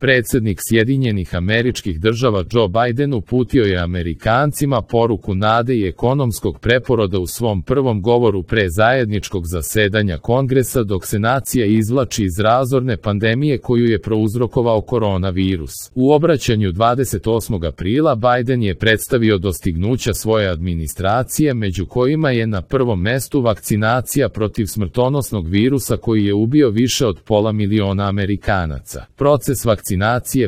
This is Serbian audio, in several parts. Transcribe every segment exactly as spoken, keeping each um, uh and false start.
Predsjednik Sjedinjenih Američkih Država Joe Biden uputio je Amerikancima poruku nade i ekonomskog preporoda u svom prvom govoru pre zajedničkog zasedanja Kongresa dok se nacija izvlači iz razorne pandemije koju je prouzrokovao koronavirus. U obraćanju dvadeset osmog aprila Biden je predstavio dostignuća svoje administracije, među kojima je na prvom mestu vakcinacija protiv smrtonosnog virusa koji je ubio više od pola miliona Amerikanaca. Proces vakcinacije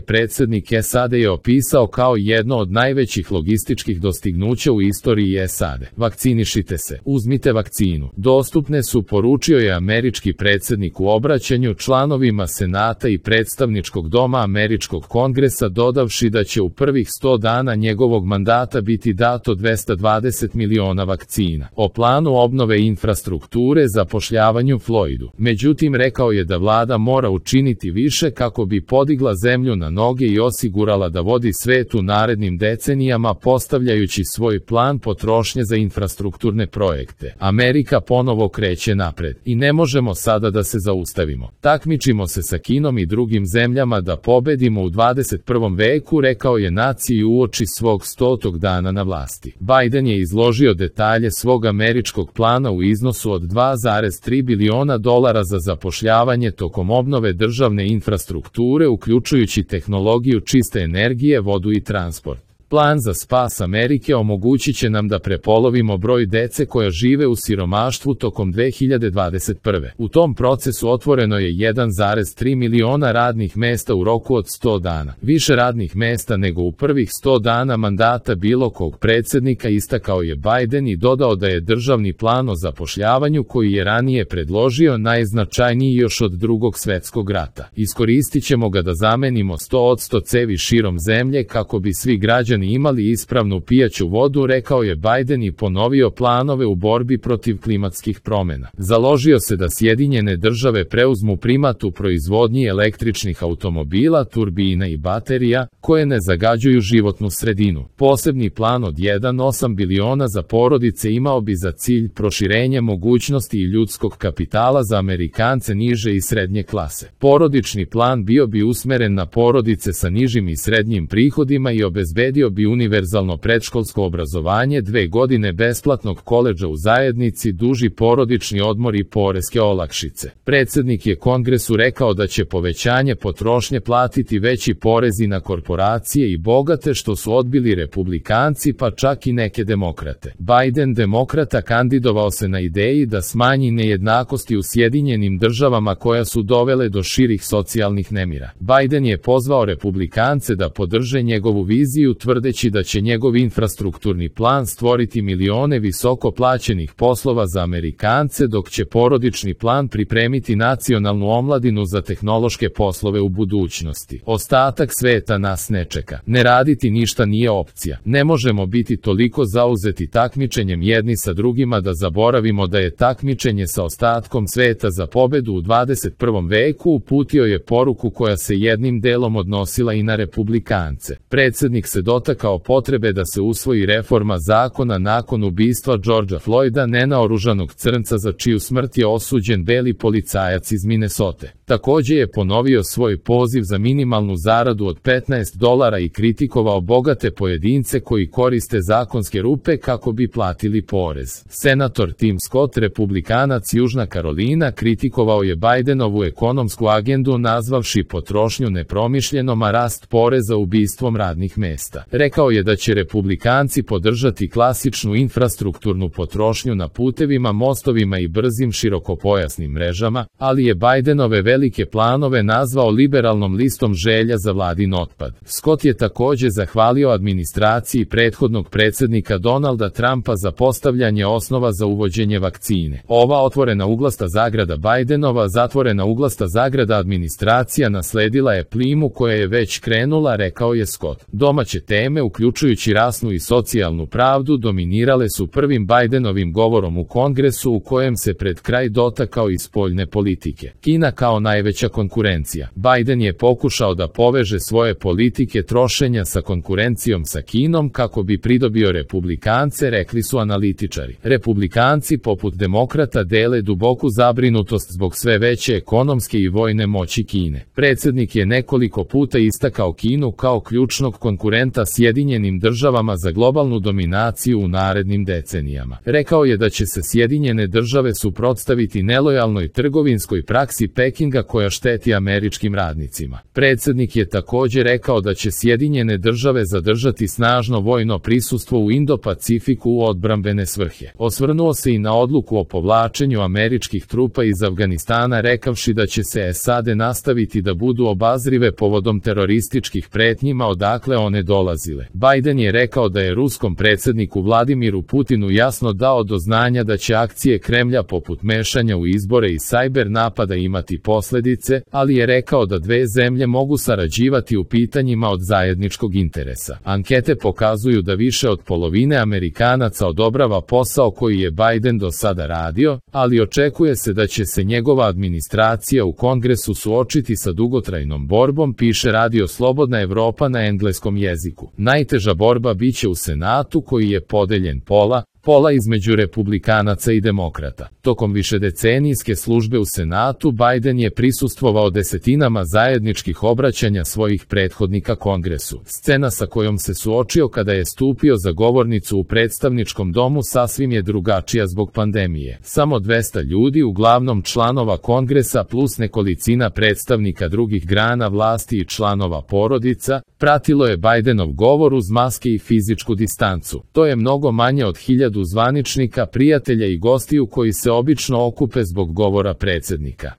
predsjednik S A D je opisao kao jedno od najvećih logističkih dostignuća u istoriji S A D. Vakcinišite se, uzmite vakcinu. Dostupne su, poručio je američki predsjednik u obraćanju članovima Senata i predstavničkog doma Američkog kongresa, dodavši da će u prvih sto dana njegovog mandata biti dato dvesta dvadeset miliona vakcina. O planu obnove infrastrukture zapošljavanju Floydu. Međutim, rekao je da vlada mora učiniti više kako bi podigla zemlju na noge i osigurala da vodi svet u narednim decenijama, postavljajući svoj plan potrošnje za infrastrukturne projekte. Amerika ponovo kreće napred i ne možemo sada da se zaustavimo. Takmičimo se sa Kinom i drugim zemljama da pobedimo u dvadeset prvom veku, rekao je naciji uoči svog stotog dana na vlasti. Biden je izložio detalje svog američkog plana u iznosu od dva zarez tri biliona dolara za zapošljavanje tokom obnove državne infrastrukture, uključujući tehnologiju čiste energije, vodu i transport. Plan za spas Amerike omogućit će nam da prepolovimo broj dece koja žive u siromaštvu tokom dve hiljade dvadeset prve. U tom procesu otvoreno je jedan zarez tri miliona radnih mesta u roku od sto dana. Više radnih mesta nego u prvih sto dana mandata bilo kog predsjednika, istakao je Biden i dodao da je državni plan o zapošljavanju koji je ranije predložio najznačajniji još od drugog svetskog rata. Iskoristit ćemo ga da zamenimo sto posto cevi širom zemlje kako bi svi građani imali ispravnu pijaću vodu, rekao je Biden i ponovio planove u borbi protiv klimatskih promjena. Založio se da Sjedinjene države preuzmu primat u proizvodnji električnih automobila, turbina i baterija, koje ne zagađuju životnu sredinu. Posebni plan od jedan zarez osam biliona za porodice imao bi za cilj proširenje mogućnosti i ljudskog kapitala za Amerikance niže i srednje klase. Porodični plan bio bi usmeren na porodice sa nižim i srednjim prihodima i obezbedio bi univerzalno predškolsko obrazovanje, dve godine besplatnog koledža u zajednici, duži porodični odmor i poreske olakšice. Predsjednik je Kongresu rekao da će povećanje potrošnje platiti veći porezi na korporacije i bogate, što su odbili republikanci pa čak i neke demokrate. Biden, demokrata, kandidovao se na ideji da smanji nejednakosti u Sjedinjenim državama koja su dovele do širih socijalnih nemira. Biden je pozvao republikance da podrže njegovu viziju, tvrdeći da će njegov infrastrukturni plan stvoriti milione visoko plaćenih poslova za Amerikance, dok će porodični plan pripremiti nacionalnu omladinu za tehnološke poslove u budućnosti. Ostatak sveta nas ne čeka. Ne raditi ništa nije opcija. Ne možemo biti toliko zauzeti takmičenjem jedni sa drugima da zaboravimo da je takmičenje sa ostatkom sveta za pobedu u dvadeset prvom veku, uputio je poruku koja se jednim delom odnosila i na republikance. Predsjednik se dotakao potrebe da se usvoji reforma zakona nakon ubistva Georgea Floyda, nenaoružanog crnca za čiju smrt je osuđen beli policajac iz Minnesote. Također je ponovio svoj poziv za minimalnu zaradu od petnaest dolara i kritikovao bogate pojedince koji koriste zakonske rupe kako bi platili porez. Senator Tim Scott, republikanac Južna Karolina, kritikovao je Bidenovu ekonomsku agendu nazvavši potrošnju nepromišljenom, a rast poreza ubistvom radnih mesta. Rekao je da će republikanci podržati klasičnu infrastrukturnu potrošnju na putevima, mostovima i brzim širokopojasnim mrežama, ali je Bidenove velike planove nazvao liberalnom listom želja za vladin otpad. Scott je također zahvalio administraciji prethodnog predsjednika Donalda Trumpa za postavljanje osnova za uvođenje vakcine. Ova otvorena uglasta zagrada Bidenova, zatvorena uglasta zagrada administracija nasledila je plimu koja je već krenula, rekao je Scott. Domaće teme teme, uključujući rasnu i socijalnu pravdu, dominirale su prvim Bajdenovim govorom u Kongresu u kojem se pred kraj dotakao i spoljne politike. Kina kao najveća konkurencija. Bajden je pokušao da poveže svoje politike trošenja sa konkurencijom sa Kinom kako bi pridobio republikance, rekli su analitičari. Republikanci poput demokrata dele duboku zabrinutost zbog sve veće ekonomske i vojne moći Kine. Predsjednik je nekoliko puta istakao Kinu kao ključnog konkurenta Sjedinjenim državama za globalnu dominaciju u narednim decenijama. Rekao je da će se Sjedinjene države suprotstaviti nelojalnoj trgovinskoj praksi Pekinga koja šteti američkim radnicima. Predsjednik je također rekao da će Sjedinjene države zadržati snažno vojno prisustvo u Indo-Pacifiku u odbrambene svrhe. Osvrnuo se i na odluku o povlačenju američkih trupa iz Afganistana, rekavši da će se S A D nastaviti da budu obazrive povodom terorističkih pretnjima odakle one dolazile. Bajden je rekao da je ruskom predsjedniku Vladimiru Putinu jasno dao do znanja da će akcije Kremlja poput mešanja u izbore i sajber napada imati posljedice, ali je rekao da dve zemlje mogu sarađivati u pitanjima od zajedničkog interesa. Ankete pokazuju da više od polovine Amerikanaca odobrava posao koji je Bajden do sada radio, ali očekuje se da će se njegova administracija u Kongresu suočiti sa dugotrajnom borbom, piše Radio Slobodna Evropa na engleskom jeziku. Najteža borba biće u Senatu koji je podeljen pola, pola između republikanaca i demokrata. Tokom višedecenijske službe u Senatu Bajden je prisustvovao desetinama zajedničkih obraćanja svojih prethodnika Kongresu. Scena sa kojom se suočio kada je stupio za govornicu u predstavničkom domu sasvim je drugačija zbog pandemije. Samo dvesta ljudi, uglavnom članova Kongresa plus nekolicina predstavnika drugih grana vlasti i članova porodica, pratilo je Bajdenov govor uz maske i fizičku distancu. To je mnogo manje od hiljadu zvaničnika, prijatelja i gostiju koji se obično okupe zbog govora predsjednika.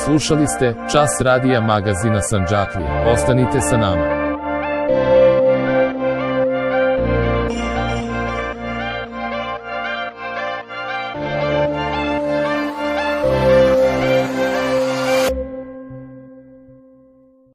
Slušali ste Čas radija magazina Sandžaklija. Ostanite sa nama.